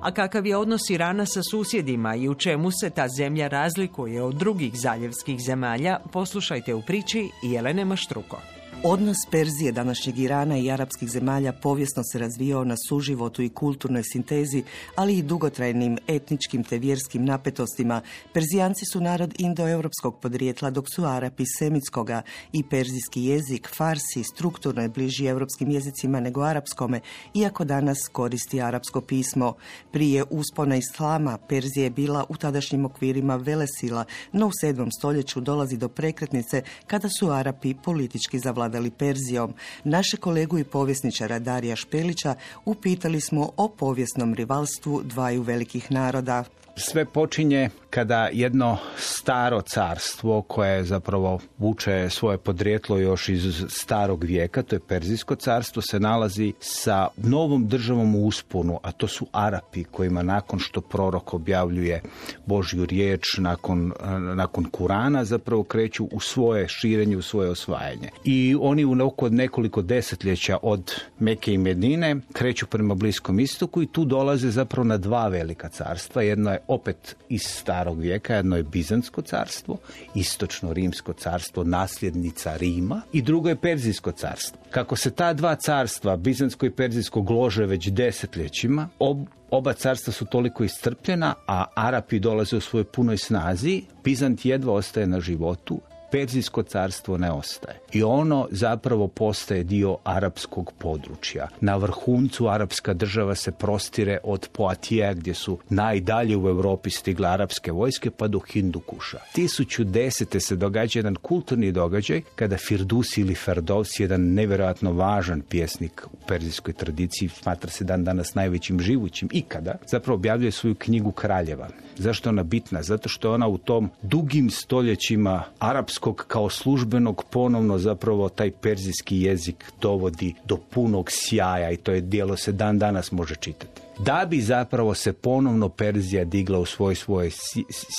A kakav je odnos Irana sa susjedima i u čemu se ta zemlja razlikuje od drugih zaljevskih zemalja, poslušajte u priči Jelene Maštruko. Odnos Perzije, današnjeg Irana i arapskih zemalja povijesno se razvijao na suživotu i kulturnoj sintezi, ali i dugotrajnim etničkim te vjerskim napetostima. Perzijanci su narod indoeuropskog podrijetla, dok su Arapi semitskoga, i perzijski jezik, farsi, strukturno je bliži europskim jezicima nego arapskome, iako danas koristi arapsko pismo. Prije uspona islama Perzija je bila u tadašnjim okvirima velesila, no u sedmom stoljeću dolazi do prekretnice kada su Arapi politički zavladali Perzijom. Naše kolegu i povjesničara Darija Špelića upitali smo o povijesnom rivalstvu dvaju velikih naroda. Sve počinje kada jedno staro carstvo koje zapravo vuče svoje podrijetlo još iz starog vijeka, to je Perzijsko carstvo, se nalazi sa novom državom u usponu, a to su Arapi, kojima nakon što prorok objavljuje Božju riječ, nakon, nakon Kurana, zapravo kreću u svoje širenje, u svoje osvajanje. I oni u oko nekoliko desetljeća od Meke i Medine kreću prema Bliskom istoku i tu dolaze zapravo na dva velika carstva. Jedno je opet iz starog vijeka, jedno je Bizantsko carstvo, istočno Rimsko carstvo, nasljednica Rima, i drugo je Perzijsko carstvo. Kako se ta dva carstva, Bizantsko i Perzijsko, glože već desetljećima, ob, oba carstva su toliko iscrpljena, a Arapi dolaze u svojoj punoj snazi, Bizant jedva ostaje na životu, Perzijsko carstvo ne ostaje. I ono zapravo postaje dio arapskog područja. Na vrhuncu arapska država se prostire od Poatija, gdje su najdalje u Europi stigle arapske vojske, pa do Hindukuša. tisuću desete se događa jedan kulturni događaj kada Firdusi ili Ferdowsi, jedan nevjerojatno važan pjesnik u perzijskoj tradiciji, smatra se dan danas najvećim živućim ikada, zapravo objavljuje svoju knjigu Kraljeva. Zašto je ona bitna? Zato što je ona u tom dugim stoljećima arapskog kao službenog ponovno zapravo taj perzijski jezik dovodi do punog sjaja, i to je djelo se dan danas može čitati. Da bi zapravo se ponovno Perzija digla u svoj svoje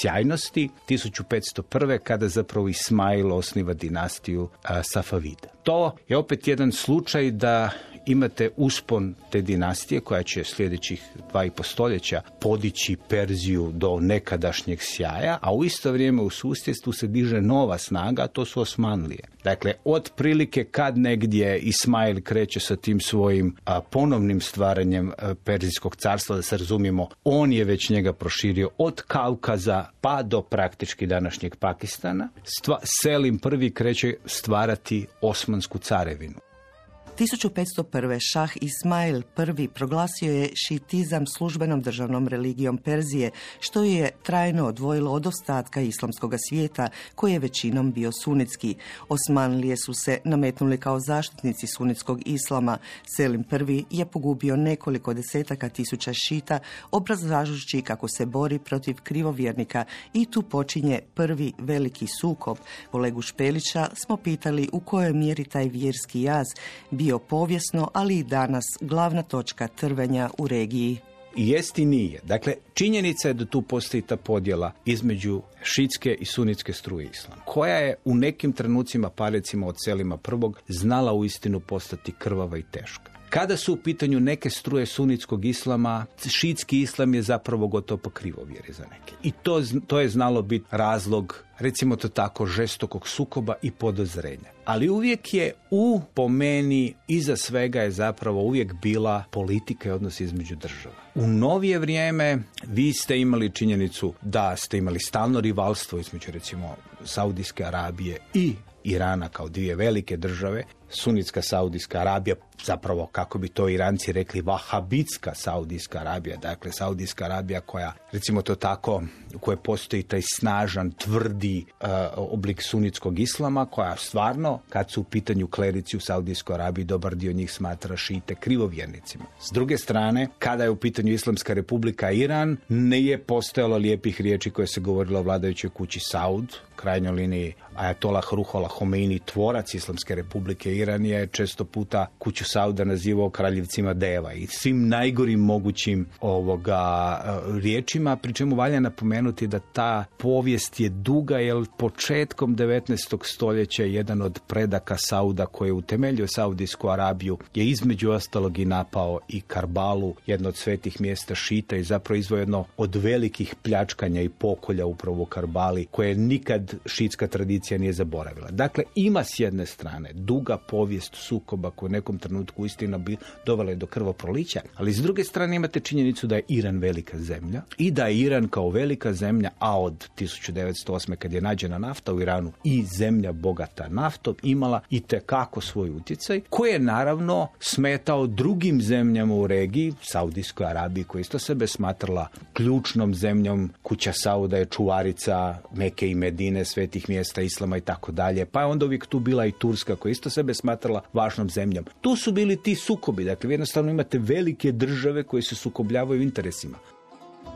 sjajnosti, tisuću petsto prve. kada zapravo Ismail osniva dinastiju a, Safavida. To je opet jedan slučaj da imate uspon te dinastije koja će sljedećih dva i po stoljeća podići Perziju do nekadašnjeg sjaja, a u isto vrijeme u susjedstvu se diže nova snaga, a to su Osmanlije. Dakle, otprilike kad negdje Ismail kreće sa tim svojim a, ponovnim stvaranjem a, Perzijskog carstva, da se razumijemo, on je već njega proširio od Kaukaza pa do praktički današnjeg Pakistana. Stva, Selim prvi kreće stvarati Osmansku carevinu. tisuću petsto prve. šah Ismail prvi. proglasio je šitizam službenom državnom religijom Perzije, što je trajno odvojilo od ostatka islamskog svijeta, koji je većinom bio sunitski. Osmanlije su se nametnuli kao zaštitnici sunitskog islama. Selim prvi. je pogubio nekoliko desetaka tisuća šita, obrazlažući kako se bori protiv krivovjernika, i tu počinje prvi veliki sukob. Kolegu Špelića smo pitali u kojoj mjeri taj vjerski jaz bio povijesno, ali i danas glavna točka trvenja u regiji. Jest i nije. Dakle, činjenica je da tu postoji ta podjela između šitske i sunitske struje islama, koja je u nekim trenucima, pa recimo od Selima prvog, znala uistinu postati krvava i teška. Kada su u pitanju neke struje sunitskog islama, šitski islam je zapravo gotovo pa krivovjeri za neke. I to, to je znalo biti razlog, recimo to tako, žestokog sukoba i podozrenja. Ali uvijek je u, po meni, iza svega je zapravo uvijek bila politika i odnos između država. U novije vrijeme vi ste imali činjenicu da ste imali stalno rivalstvo između, recimo, Saudijske Arabije i Irana kao dvije velike države. Sunitska Saudijska Arabija, zapravo kako bi to Iranci rekli, vahabitska Saudijska Arabija, dakle Saudijska Arabija koja, recimo to tako, u kojoj postoji taj snažan, tvrdi uh, oblik sunitskog islama, koja stvarno, kad su u pitanju klerici u Saudijskoj Arabiji, dobar dio njih smatra šite krivovjernicima. S druge strane, kada je u pitanju Islamska Republika Iran, ne je postojalo lijepih riječi koje se govorilo o vladajućoj kući Saud, krajnjoj liniji Ajatolah Ruhollah Homeini, tvorac Islamske Republike Iran, je često puta kuću Sauda nazivao kraljevcima deva i svim najgorim mogućim ovoga riječima, pri čemu valja napomenuti da ta povijest je duga, jer početkom devetnaestog stoljeća jedan od predaka Sauda koji je utemeljio Saudijsku Arabiju je između ostalog i napao i Karbalu, jedno od svetih mjesta šita, i zapravo izveo jedno od velikih pljačkanja i pokolja upravo u Karbali, koje nikad šitska tradicija tradicija nije zaboravila. Dakle, ima s jedne strane duga povijest sukoba koja u nekom trenutku istina bi dovela je do krvoprolića, ali s druge strane imate činjenicu da je Iran velika zemlja i da je Iran kao velika zemlja, a od tisuću devetsto osme kad je nađena nafta u Iranu i zemlja bogata naftom, imala i tekako svoj utjecaj, koji je naravno smetao drugim zemljama u regiji, Saudijskoj Arabiji, koja isto sebe smatrala ključnom zemljom, kuća Sauda je čuvarica Meke i Medine, svetih mjesta islama i tako dalje, pa je onda uvijek tu bila i Turska, koja isto sebe smatrala važnom zemljom. Tu su bili ti sukobi, dakle vi jednostavno imate velike države koje se sukobljavaju u interesima.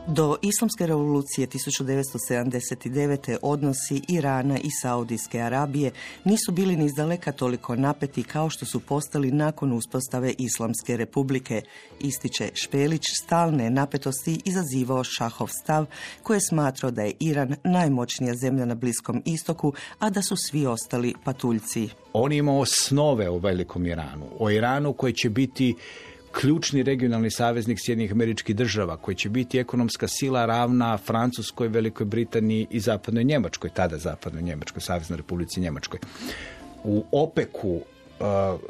Do Islamske revolucije tisuću devetsto sedamdeset devete. odnosi Irana i Saudijske Arabije nisu bili ni izdaleka toliko napeti kao što su postali nakon uspostave Islamske republike. Ističe Špelić, stalne napetosti izazivao šahov stav koji je smatrao da je Iran najmoćnija zemlja na Bliskom istoku, a da su svi ostali patuljci. On ima osnove u velikom Iranu. O Iranu koji će biti ključni regionalni saveznik Sjedinjenih Američkih Država, koji će biti ekonomska sila ravna Francuskoj, Velikoj Britaniji i Zapadnoj Njemačkoj, tada Zapadnoj Njemačkoj, Saveznoj Republici Njemačkoj. U opeku,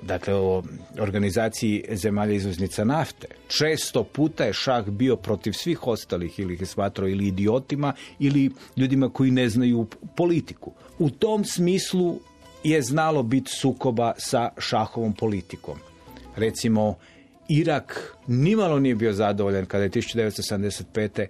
dakle o organizaciji zemalja izvoznica nafte, često puta je šah bio protiv svih ostalih, ili ih je smatrao ili idiotima ili ljudima koji ne znaju politiku. U tom smislu je znalo biti sukoba sa šahovom politikom. Recimo, Irak nimalo nije bio zadovoljan kada je tisuću devetsto sedamdeset pete.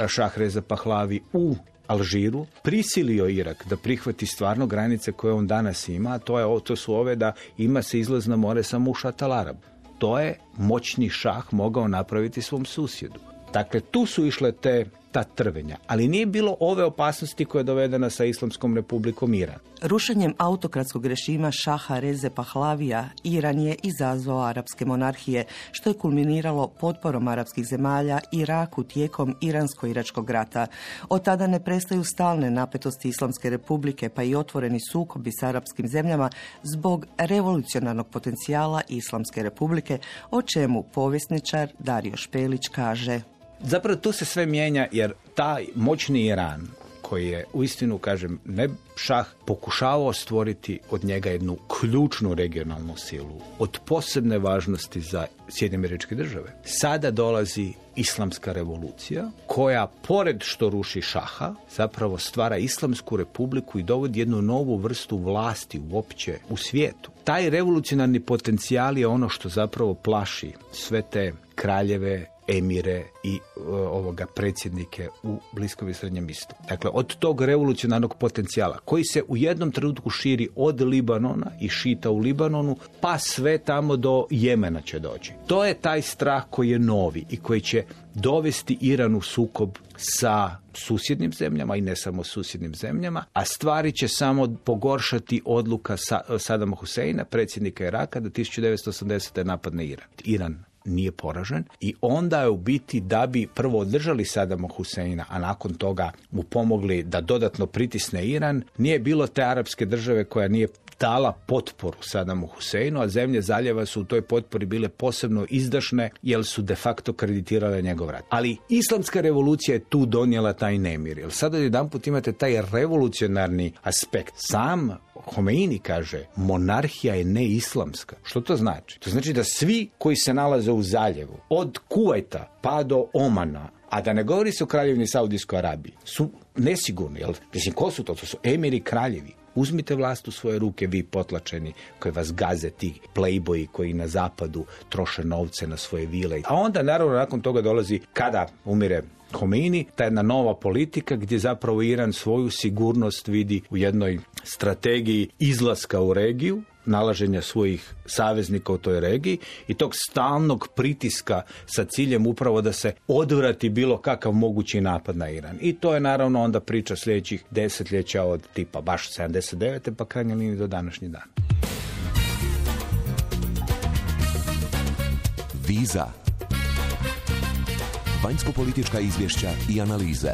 šah Reza Pahlavi u Alžiru prisilio Irak da prihvati stvarno granice koje on danas ima, a to, je, to su ove da ima se izlaz na more samo u Šat al-Arab. To je moćni šah mogao napraviti svom susjedu. Dakle, tu su išle te ta trvenja, ali nije bilo ove opasnosti koja je dovedena sa Islamskom republikom Iran. Rušenjem autokratskog režima šaha Reze Pahlavija, Iran je izazvao arapske monarhije, što je kulminiralo potporom arapskih zemalja Iraku tijekom Iransko-iračkog rata. Od tada ne prestaju stalne napetosti Islamske republike, pa i otvoreni sukobi s arapskim zemljama zbog revolucionarnog potencijala Islamske republike, o čemu povjesničar Dario Špelić kaže: Zapravo tu se sve mijenja jer taj moćni Iran, koji je uistinu, kažem, ne šah, pokušavao stvoriti od njega jednu ključnu regionalnu silu od posebne važnosti za Sjedinjene Američke Države. Sada dolazi Islamska revolucija koja, pored što ruši šaha, zapravo stvara Islamsku republiku i dovodi jednu novu vrstu vlasti uopće u svijetu. Taj revolucionarni potencijal je ono što zapravo plaši sve te kraljeve, emire i uh, ovoga predsjednike u Bliskom i Srednjem istoku. Dakle, od tog revolucionarnog potencijala koji se u jednom trenutku širi od Libanona i šita u Libanonu, pa sve tamo do Jemena će doći. To je taj strah koji je novi i koji će dovesti Iran u sukob sa susjednim zemljama i ne samo susjednim zemljama, a stvari će samo pogoršati odluka sa, Sadama Huseina, predsjednika Iraka, da tisuću devetsto osamdesete napadne Iran. Iran nije poražen i onda je u biti, da bi prvo održali Sadama Huseina, a nakon toga mu pomogli da dodatno pritisne Iran, nije bilo te arapske države koja nije dala potporu Sadamu Huseinu, a zemlje zaljeva su u toj potpori bile posebno izdašne jer su de facto kreditirale njegov rat. Ali Islamska revolucija je tu donijela taj nemir. Jer sada jedanput imate taj revolucionarni aspekt. Sam Homeini kaže, monarhija je neislamska. Što to znači? To znači da svi koji se nalaze u zaljevu, od Kuvajta pa do Omana, a da ne govori se o kraljevini Saudijskoj Arabiji, su nesigurni. Jel? Mislim, ko su to? To su emiri kraljevi. Uzmite vlast u svoje ruke, vi potlačeni, koji vas gaze, ti playboyi koji na zapadu troše novce na svoje vile. A onda, naravno, nakon toga dolazi, kada umire Homeini, ta jedna nova politika gdje zapravo Iran svoju sigurnost vidi u jednoj strategiji izlaska u regiju, nalaženja svojih saveznika u toj regiji i tog stalnog pritiska sa ciljem upravo da se odvrati bilo kakav mogući napad na Iran. I to je naravno onda priča sljedećih desetljeća od tipa baš sedamdeset devete pa krajnje linije do današnji dan. Viza. Vanjsko-politička izvješća i analize.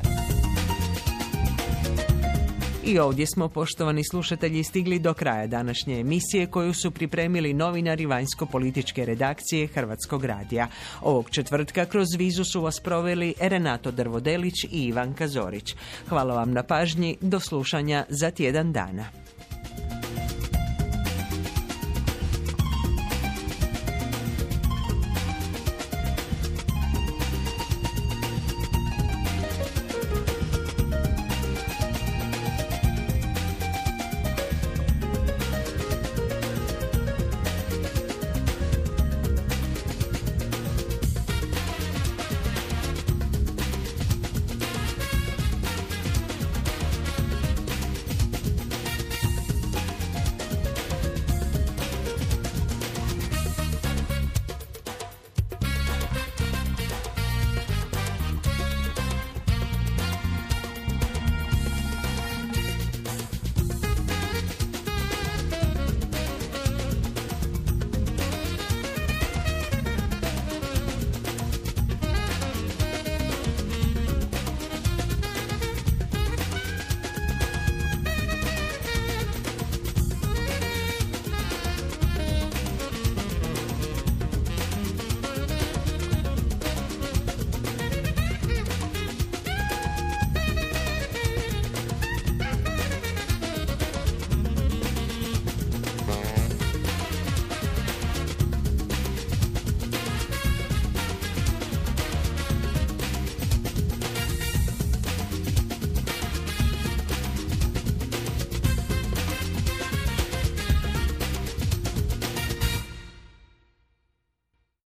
I ovdje smo, poštovani slušatelji, stigli do kraja današnje emisije koju su pripremili novinari vanjsko-političke redakcije Hrvatskog radija. Ovog četvrtka kroz vizu su vas proveli Renato Drvodelić i Ivanka Zorić. Hvala vam na pažnji, do slušanja za tjedan dana.